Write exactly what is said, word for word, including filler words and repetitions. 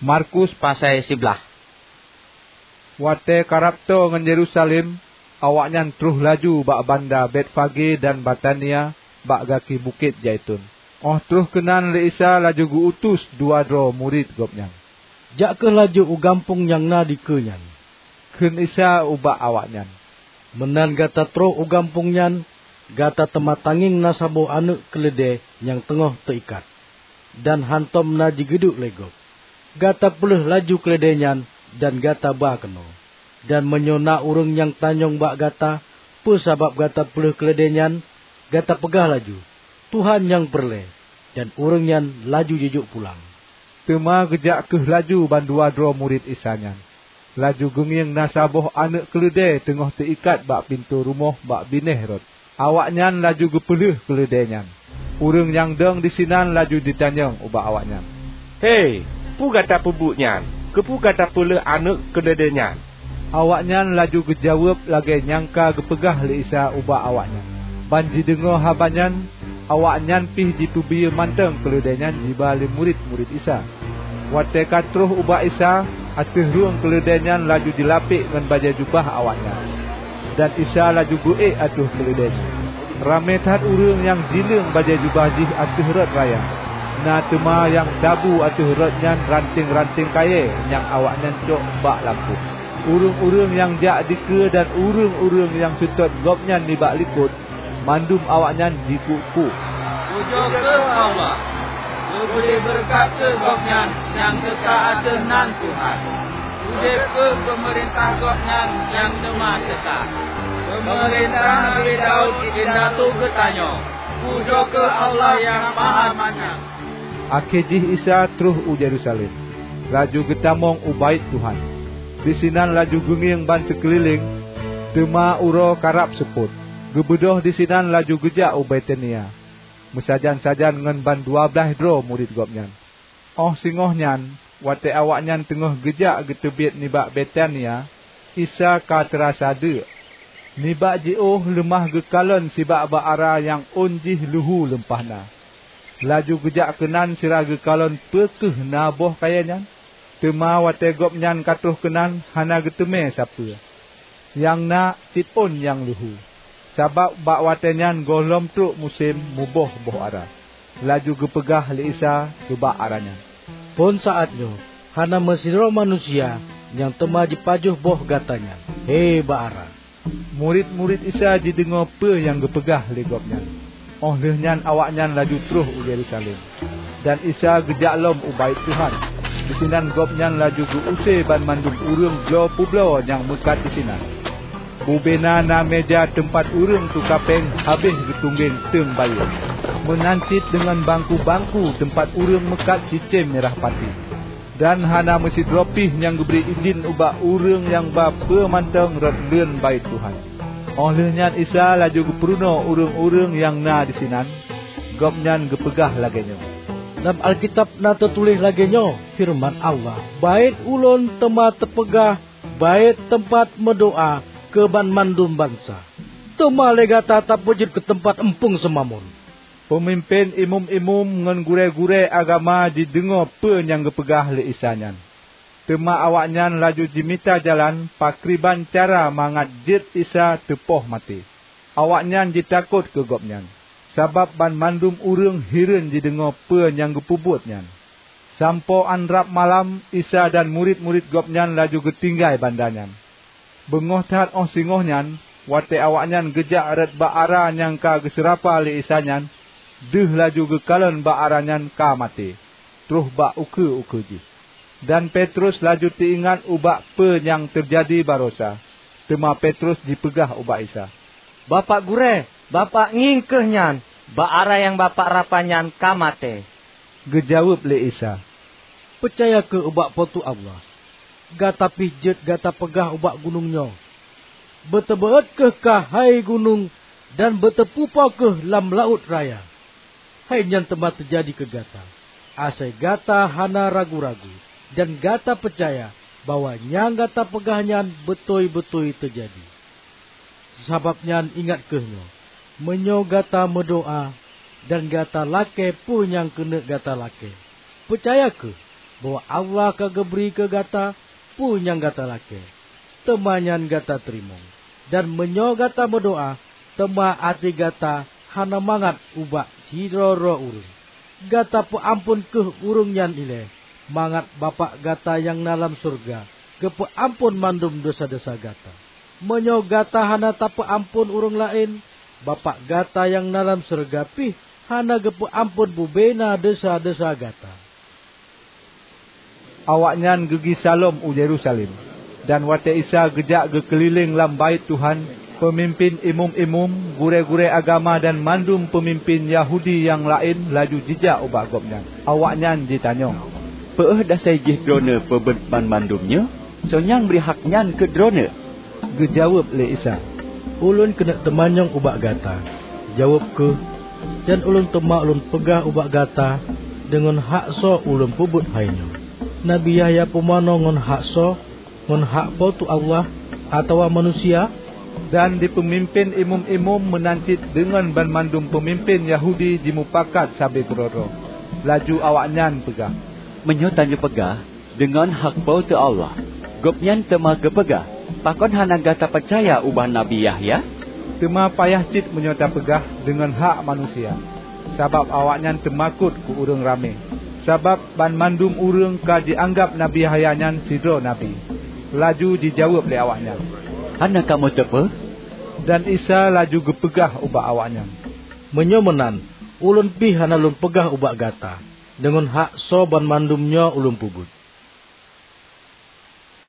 Markus pasai siblaih. Watée karab toe ngon Yerusalem, awaknyan troh laju bak banda Betfage dan Betania bak gaki Bukét Zaiton. Óh troh keunan lé Isa laju geu-utus dua droe murit Gobnyan. "Jak kheueh laju u gampông nyang na dikeue nyan," kheun Isa ubak awaknyan. "Meunan gata troh u gampông nyan, gata teuma tangieng na saboh aneuëk keuleudée nyang teungoh teuikat, dan hántom na jigeuduek lé gob. Gata peulheueh laju keuleudée nyan dan gata ba keunoe. Dan meunyoe na ureuëng nyang tanyong bak gata peue sabab gata peulheueh keuleudée nyan, gata peugah laju, 'Tuhan nyang peureulée,' dan ureuëng nyan laju jijok pulang." Teuma geujak kheueh laju bandua droe murit Isa nyan. Laju geungieng na saboh aneuëk keuleudée teungoh teuikat bak pintoe rumoh bak binéh rot. Awaknyan laju geupeulheueh keuleudée nyan. Ureuëng nyang dong disinan laju jitanyong ubak awaknyan, "He, peue gata peubuet nyan? Keupeue gata peulheueh aneuëk keuleudée nyan?" Awaknyan laju geujaweueb lagée nyang ka geupeugah lé Isa ubak awaknyan. Ban jideungoe haba nyan, awaknyan pih jipeubiyeu mantong keuleudée nyan jiba lé murit-murit Isa. Watée ka troh ubak Isa, ateueh rueng keuleudée nyan laju jilapek ngon bajée jubah awaknyan, dan Isa laju geuék ateueh keuleudée nyan. Ramé that ureuëng nyang jileueng bajée jubah jih ateueh rot raya. Na teuma nyang tabu ateueh rot nyan ranting-ranting kayée nyang awaknyan cok bak lampôh. Ureuëng-ureuëng nyang jak dikeue dan ureuëng-ureuëng nyang seutôt Gobnyan nibak likot, mandum awaknyan jikuk-kuk, "Pujoe keu Allah! Leubeh beureukat keu Gobnyan nyang teuka ateueh nan Tuhan! Udeb keu peumeurintah Gobnyan nyang teuma teuka! Peumeurintah Nabi Daud indatu geutanyoe! Pujoe keu Allah Nyang Mahamanyang!" Akhé jih Isa troh u Yerusalem, laju geutamong u Baét Tuhan. Disinan laju geungieng ban sikeulileng, teuma uroe karab seupôt. Geubeudôh disinan laju geujak u Betania, meusajan-sajan ngon bandua blaih droe murit Gobnyan. Óh singoh nyan, watée awaknyan teungoh geujak geuteubiet nibak Betania, Isa ka teurasa deuk. Nibak jiôh leumah geukalon sibak bak ara nyang ôn jih leuhu leumpah na. Laju geujak keunan sira geukalon peu kheueh na boh kayée nyan. Teuma watée Gobnyan ka troh keunan hana geuteumé sapeue. Nyang na cit ôn nyang leuhu, sabab bak watée nyan gohlom trok musém muboh boh ara. Laju geupeugah lé Isa keu bak ara nyan, "Phon saát nyoe hana meusidroe manusia nyang teuma jipajoh boh gata nyan, he bak ara!" Murit-murit Isa jideungoe peue nyang geupeugah lé Gobnyan. Óh lheueh nyan awaknyan laju troh u Yerusalem, dan Isa geujak lom u Baét Tuhan. Disinan Gobnyan laju geu-use banmandum ureuëng bloe peubloe nyang meukat disinan. Bubena na meuja teumpat ureuëng tuka péng habéh geutunggeng teueng bayeue, meunan cit deungon bangku-bangku teumpat ureuëng meukat cicém mirah pati. Dan hana meusidroe pih nyang geubri idhin ubak ureuëng nyang ba peue mantong rot leuen Baét Tuhan. Óh lheueh nyan Isa laju geupeurunoe ureuëng-ureuëng nyang na disinan. Gobnyan geupeugah lagée nyoe, "Lam Alkitab na teutuléh lagée nyoe feureuman Allah, 'Baét Ulôn teuma teupeugah baét teumpat meudoá keu banmandum bansa.' Teuma lé gata tapeujeuet keu teumpat eumpung seumamon." Peumimpén imeum-imeum ngon gurée-gurée agama jideungoe peue nyang geupeugah lé Isa nyan. Teuma awaknyan laju jimita jalan pakriban cara mangat jeuet Isa teupoh maté. Awaknyan jitakot keu Gobnyan, sabab banmandum ureuëng hireuen jideungoe peue nyang geupeubuet nyan. Sampoe 'an rab malam, Isa dan murit-murit Gobnyan laju geutinggai banda nyan. Beungoh that óh singoh nyan, watée awaknyan geujak rot bak ara nyang ka geuseurapa lé Isa nyan, deuh laju geukalon bak ara nyan ka maté, troh bak ukeue-ukeue jih. Dan Petrus laju teuingat ubak peue nyang teujadi baroesa. Teuma Petrus jipeugah ubak Isa, "Bapak Gurée, Bapak ngieng kheueh nyan, bak ara nyang Bapak rapa nyan ka maté." Geujaweueb lé Isa, "Peucaya kheueh ubak Po teu Allah. Gata pih jeuet gata peugah ubak gunong nyoe, 'Beuteubeuôt kheueh kah hai gunong, dan beuteupupo kheueh lam laôt raya.' Hai nyan teuma teujadi keu gata, asai gata hana ragu-ragu, dan gata peucaya bahwa nyang gata peugah nyan beutôi-beutôi teujadi. Sabab nyan ingat kheueh nyoe, meunyoe gata meudoá dan gata lakée peue nyang keuneuk gata lakée, peucaya kheueh bahwa Allah ka geubri keu gata peue nyang gata lakée, teuma nyan gata teurimong. Dan meunyoe gata meudoá, teuma até gata hana mangat ubak sidroe-droe ureuëng, gata peuamphon kheueh ureuëng nyan ilée, mangat Bapak gata nyang na lam syeuruga geupeuamphon mandum desya-desya gata. Meunyoe gata hana tapeuamphon ureuëng laén, Bapak gata nyang na lam syeuruga pih hana geupeuamphon bubena desya-desya gata." Awaknyan geugisa lom u Yerusalem, dan watée Isa geujak geukeulileng lam Baét Tuhan, peumimpén imeum-imeum, gurée-gurée agama dan mandum peumimpén Yahudi nyang laén laju jijak ubak Gobnyan. Awaknyan jitanyong, "Peu dasai jih Droeneueh peubuet banmandum nyoe? Soe nyang bri hak nyan keu Droeneueh?" Geujaweueb lé Isa, "Ulôn keuneuk teumanyong ubak gata. Jaweueb kheueh, dan ulôn teuma ulôn peugah ubak gata deungon hak soe ulôn peubuet hai nyoe. Nabi Yahya pumanö ngon hak soe? Ngon hak Po teu Allah atawa manusia?" Dan di peumimpén imeum-imeum meunan cit deungon banmandum peumimpén Yahudi jimupakat sabe keudroe-droe. Laju awaknyan peugah, "Meunyoe tanyoe peugah, 'Deungon hak Po teu Allah,' Gobnyan teuma geupeugah, 'Pakon hana gata peucaya ubak Nabi Yahya?' Teuma payah cit meunyoe tapeugah, 'Deungon hak manusia,' sabab awaknyan teumakot keu ureuëng ramé, sabab banmandum ureuëng ka jianggab Nabi Yahya nyan sidroe nabi." Laju jijaweueb lé awaknyan, "Hana kamoe teupeue." Dan Isa laju geupeugah ubak awaknyan, "Meunyoe meunan, Ulôn pih hana Lôn peugah ubak gata deungon hak soe banmandum nyoe Ulôn peubuet."